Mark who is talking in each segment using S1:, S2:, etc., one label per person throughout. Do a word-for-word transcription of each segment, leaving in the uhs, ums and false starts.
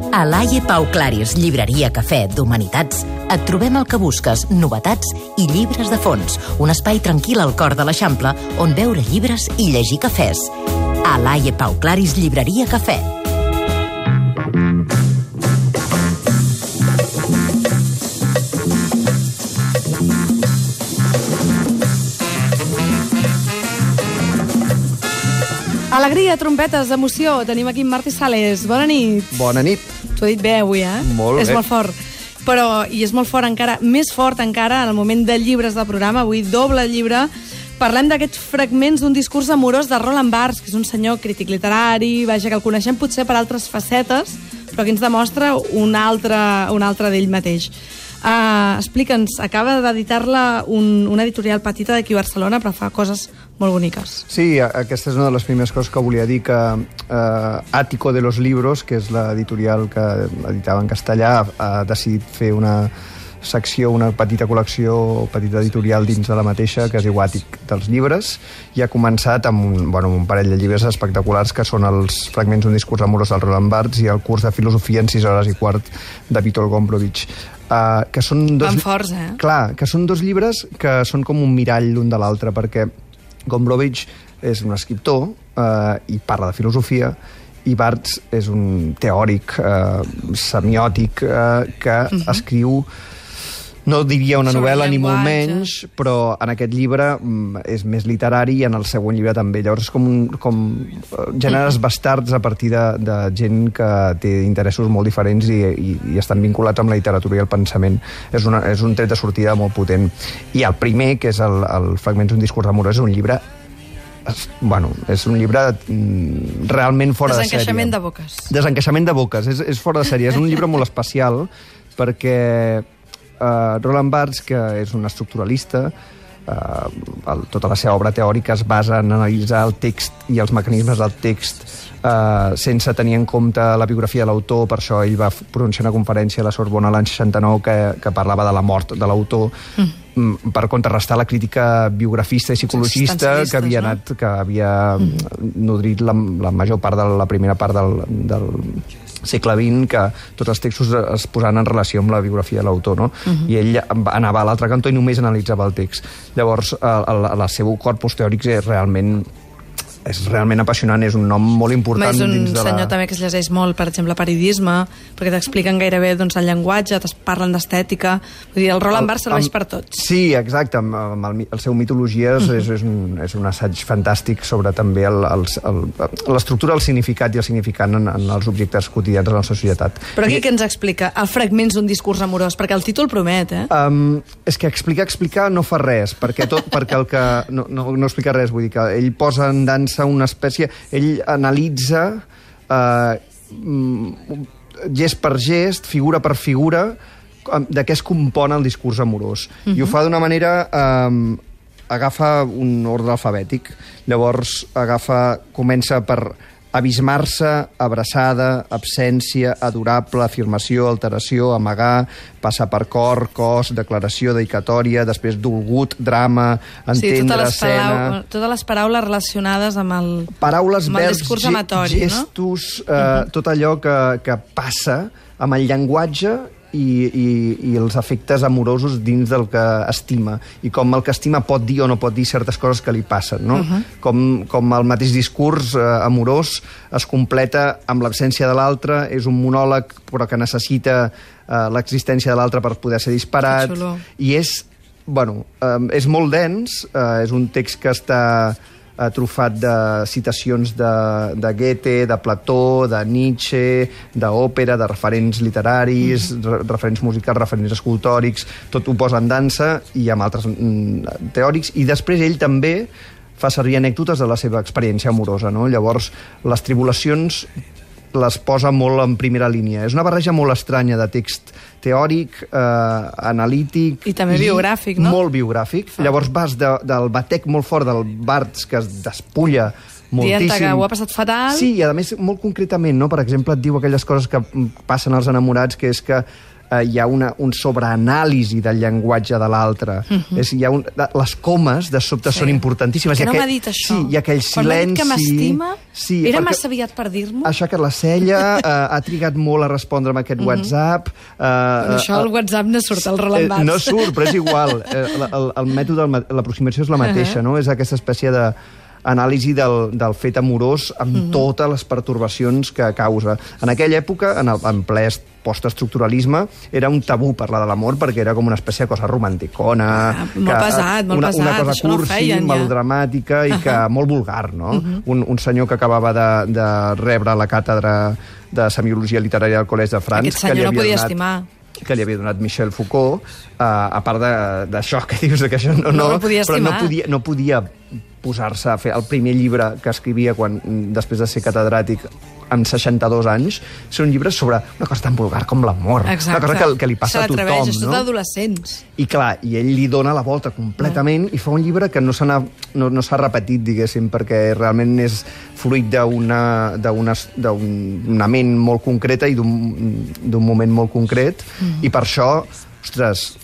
S1: A l'Aie Pau Claris, llibreria cafè d'Humanitats, et trobem el que busques, novetats i llibres de fons. Un espai tranquil al cor de l'Eixample on veure llibres i llegir cafès. A l'Aie Pau Claris, llibreria cafè.
S2: Alegria, trompetes, emoció. Tenim aquí en Martí Sales. Bona nit.
S3: Bona nit.
S2: T'ho he dit bé avui, eh?
S3: Molt
S2: és
S3: bé.
S2: molt fort. Però, i és molt fort encara, més fort encara, en el moment de llibres del programa, avui doble llibre, parlem d'aquests fragments d'un discurs amorós de Roland Barthes, que és un senyor crític literari, vaja, que el coneixem potser per altres facetes, però que ens demostra un altre, un altre d'ell mateix. Uh, Explica'ns, acaba d'editar-la un, una editorial petita d'aquí a Barcelona, però fa coses molt boniques.
S3: Sí, aquesta és una de les primeres coses que volia dir, que eh, Ático de los Libros, que és l'editorial que editava en castellà, ha decidit fer una secció, una petita col·lecció, petita editorial dins de la mateixa, que es diu Àtic dels llibres, i ha començat amb un, bueno, un parell de llibres espectaculars, que són els fragments d'un discurs amorós del Roland Barthes i el curs de filosofia en sis hores i quart de Vítor Gombrowicz. Uh, que són dos...
S2: Van forts, eh?
S3: Clar, que són dos llibres que són com un mirall l'un de l'altre, perquè Gombrowicz és un escriptor uh, i parla de filosofia, i Barthes és un teòric uh, semiòtic uh, que uh-huh. escriu, no diria una
S2: sobre
S3: novel·la ni molt
S2: llenguatge.
S3: menys, però en aquest llibre um, és més literari i en el següent llibre també. Llavors és com, un, com gèneres bastards a partir de, de gent que té interessos molt diferents i, i, i estan vinculats amb la literatura i el pensament. És, una, és un tret de sortida molt potent. I el primer, que és el, el Fragments d'un discurs amorós, és un llibre bueno, és un llibre mm, realment fora de sèrie.
S2: Desencaixament de boques.
S3: Desencaixament de boques, és, és fora de sèrie. És un llibre molt especial perquè Uh, Roland Barthes, que és un estructuralista, uh, el, tota la seva obra teòrica es basa en analitzar el text i els mecanismes del text uh, sense tenir en compte la biografia de l'autor. Per això ell va pronunciar una conferència a la Sorbona l'any seixanta-nou que, que parlava de la mort de l'autor, mm. per contrarrestar la crítica biografista i psicologista que havia, anat, que havia mm. nodrit la, la major part de la primera part del, del segle vint, que tots els textos es posaven en relació amb la biografia de l'autor, no? Uh-huh. I ell anava a l'altre cantó i només analitzava el text. Llavors, el, el, el seu corpus teòric és realment és realment apassionant, és un nom molt important dins de la...
S2: És un senyor també que es llegeix molt, per exemple, periodisme, perquè t'expliquen gairebé doncs, el llenguatge, te parlen d'estètica. Vull dir, el Roland Barthes serveix per tots.
S3: Sí, exacte. Amb, amb el, el seu Mitologies uh-huh. és, és, un, és un assaig fantàstic sobre també l'estructura, el, el significat i el significant en, en els objectes quotidians de la nostra societat.
S2: Però aquí I... què ens explica? El fragments d'un discurs amorós, perquè el títol promet, eh? Um,
S3: és que explicar, explicar no fa res, perquè, tot, perquè el que... No, no, no explica res, vull dir que ell posa en dansa una espècie... Ell analitza eh, gest per gest, figura per figura, de què es compon el discurs amorós. Uh-huh. I ho fa d'una manera... Eh, agafa un ordre alfabètic. Llavors agafa... Comença per abismar-se, abraçada, absència, adorable, afirmació, alteració, amagar, passar per cor, cos, declaració, dedicatòria, després dolgut, drama, entendre,
S2: sí,
S3: escena...
S2: Palau, totes les paraules relacionades amb el,
S3: paraules,
S2: amb el
S3: verbs,
S2: discurs amatori,
S3: gestos,
S2: no?
S3: eh,
S2: uh-huh.
S3: tot allò que, que passa amb el llenguatge i, i, i els efectes amorosos dins del que estima, i com el que estima pot dir o no pot dir certes coses que li passen, no? Uh-huh. com, com el mateix discurs eh, amorós es completa amb l'absència de l'altre, és un monòleg però que necessita eh, l'existència de l'altre per poder ser disparat, i és, bueno, eh, és molt dens, eh, és un text que està trufat de citacions de, de Goethe, de Plató, de Nietzsche, d'òpera, de referents literaris, mm. referents musicals, referents escultòrics, tot ho posa en dansa i amb altres mm, teòrics, i després ell també fa servir anècdotes de la seva experiència amorosa, no? Llavors, les tribulacions les posa molt en primera línia. És una barreja molt estranya de text teòric, eh, analític...
S2: I també i biogràfic, no?
S3: Molt biogràfic. Fa. Llavors vas de, del batec molt fort del Barthes, que es despulla moltíssim.
S2: Dient que ho ha passat fatal.
S3: Sí, i a més, molt concretament, no? Per exemple, et diu aquelles coses que passen als enamorats, que és que eh, hi ha una, un sobreanàlisi del llenguatge de l'altre. Uh-huh. És, hi ha un, les comes, de sobte, sí. són importantíssimes.
S2: Que no
S3: aquell,
S2: m'ha dit això.
S3: Sí, i aquell
S2: Quan
S3: silenci...
S2: m'ha dit que m'estima,
S3: sí,
S2: era massa aviat per dir-m'ho.
S3: Ha aixecat la cella, eh, ha trigat molt a respondre'm aquest uh-huh. WhatsApp... Eh,
S2: Però això, el WhatsApp no surt, el Roland Barthes.
S3: Eh, no surt, però és igual. El, el, el mètode, l'aproximació és la mateixa, uh-huh. no? És aquesta espècie de anàlisi del, del fet amorós amb uh-huh. totes les pertorbacions que causa. En aquella època, en, el, en ple postestructuralisme, era un tabú parlar de l'amor perquè era com una espècie de cosa romanticona...
S2: Ah, molt que, pesat, molt
S3: una,
S2: pesat.
S3: Una cosa
S2: això
S3: cursi,
S2: no feien, ja.
S3: melodramàtica i que
S2: uh-huh.
S3: molt vulgar, no?
S2: Uh-huh.
S3: un, un senyor que acabava de, de rebre la càtedra de semiologia literària del Col·legi de Francs...
S2: Aquest senyor
S3: que li
S2: no
S3: havia
S2: podia
S3: donat,
S2: estimar.
S3: que li havia donat Michel Foucault, uh, a part d'això que dius, que això no...
S2: No, no podia
S3: però
S2: estimar.
S3: no podia, no podia posar-se a fer el primer llibre que escrivia quan, després de ser catedràtic amb seixanta-dos anys, és un llibre sobre una cosa tan vulgar com l'amor. Una cosa que, que li passa a tothom.
S2: És tot
S3: no?
S2: d'adolescents.
S3: I clar, i ell li dona la volta completament no. i fa un llibre que no s'ha no, no repetit, diguéssim, perquè realment és fruit d'una ment molt concreta i d'un moment molt concret, mm. i per això, ostres,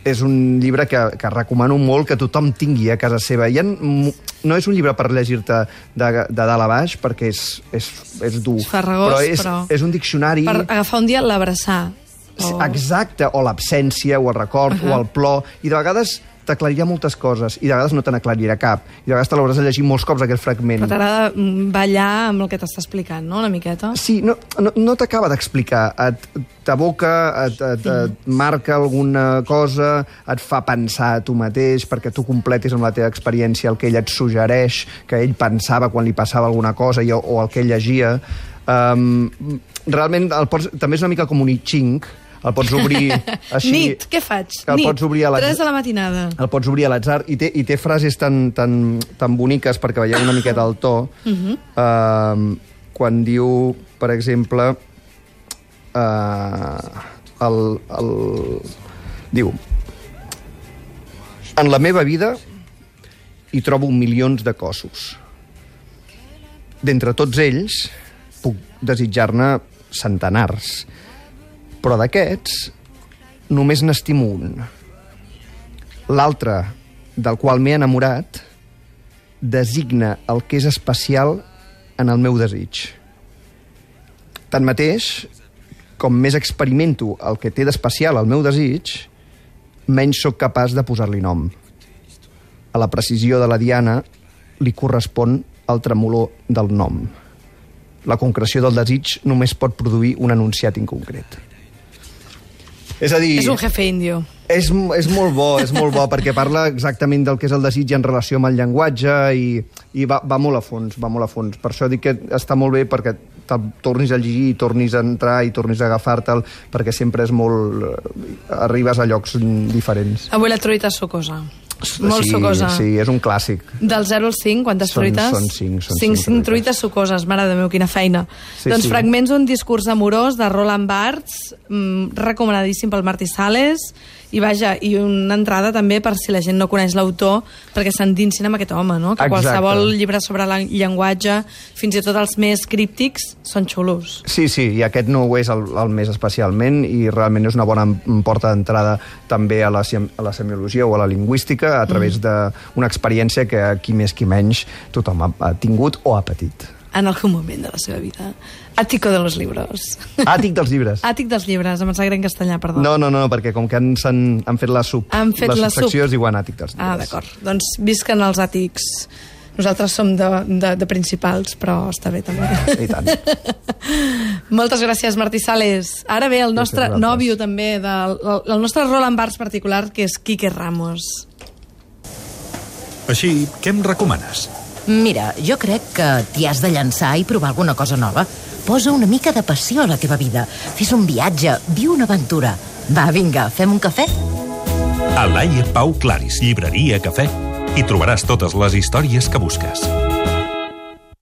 S3: és un llibre que, que recomano molt que tothom tingui a casa seva. I ha, no és un llibre per llegir-te de, de dalt a baix, perquè és, és, és dur.
S2: És farragós,
S3: però és,
S2: però...
S3: és un diccionari...
S2: Per agafar un dia l'abraçar.
S3: O... Exacte, o l'absència, o el record, uh-huh. o el plor. I de vegades t'aclarirà moltes coses, i de vegades no te n'aclarirà cap. I de vegades te l'hauràs de llegir molts cops, aquell fragment.
S2: Però t'agrada ballar amb el que t'està explicant, no?, una miqueta?
S3: Sí, no, no, no t'acaba d'explicar. T'aboca, et, et, et marca alguna cosa, et fa pensar a tu mateix, perquè tu completis amb la teva experiència el que ell et suggereix, que ell pensava quan li passava alguna cosa, i, o el que ell llegia. Um, realment, el pots, també és una mica com un I Ching. El pots obrir així...
S2: Nit, què faig?
S3: El
S2: Nit,
S3: pots obrir a
S2: tres de la matinada.
S3: El pots obrir a l'atzar, i té, i té frases tan, tan, tan boniques, perquè veieu una miqueta el to, uh-huh. uh, quan diu, per exemple, uh, el, el... diu: en la meva vida hi trobo milions de cossos. D'entre tots ells puc desitjar-ne centenars, però d'aquests només n'estimo un. L'altre, del qual m'he enamorat, designa el que és especial en el meu desig. Tanmateix, com més experimento el que té d'especial al meu desig, menys sóc capaç de posar-li nom. A la precisió de la diana li correspon el tremolor del nom. La concreció del desig només pot produir un enunciat inconcret. És a dir...
S2: És un jefe indio.
S3: És, és molt bo, és molt bo, perquè parla exactament del que és el desig en relació amb el llenguatge i, i va, va molt a fons, va molt a fons. Per això dic que està molt bé perquè tornis a llegir, tornis a entrar i tornis a agafar-te'l, perquè sempre és molt... arribes a llocs diferents.
S2: Avui la truita sucosa. Molt
S3: sí,
S2: sucosa.
S3: Sí, és un clàssic.
S2: Del zero al cinc, quantes
S3: són,
S2: truites?
S3: Són cinc. Són
S2: cinc,
S3: cinc,
S2: cinc truites sucoses, mare de meu, quina feina.
S3: Sí,
S2: doncs
S3: sí.
S2: Fragments d'un discurs amorós de Roland Barthes, mmm, recomanadíssim pel Martí Sales, i vaja, i una entrada també per si la gent no coneix l'autor, perquè s'endinsin amb aquest home, no? Que
S3: Exacte.
S2: Qualsevol llibre sobre el llenguatge, fins i tot els més críptics, són xulos.
S3: Sí, sí, i aquest no ho és el, el més especialment, i realment és una bona porta d'entrada també a la, a la semiologia o a la lingüística, a través mm. d'una experiència que qui més qui menys tothom ha, ha tingut o ha patit.
S2: En algun moment de la seva vida. Àtico de los libros.
S3: Àtic dels llibres.
S2: Àtic dels llibres, em sembla en castellà, perdó.
S3: No, no, no, perquè com que han, han, han fet la sub,
S2: han fet
S3: la
S2: la
S3: subsecció
S2: sub.
S3: es diuen àtic dels llibres.
S2: Ah, d'acord. Doncs visquen els àtics. Nosaltres som de, de, de principals, però està bé també.
S3: I tant.
S2: Moltes gràcies, Martí Sales. Ara ve el nostre nòvio també, del, el nostre Roland Barthes particular, que és Quique Ramos.
S4: Així, què em recomanes?
S1: Mira, jo crec que t'hi has de llançar i provar alguna cosa nova. Posa una mica de passió a la teva vida. Fes un viatge, viu una aventura. Va, vinga, fem un cafè?
S4: A Laia Pau Claris, llibreria Cafè, hi trobaràs totes les històries que busques.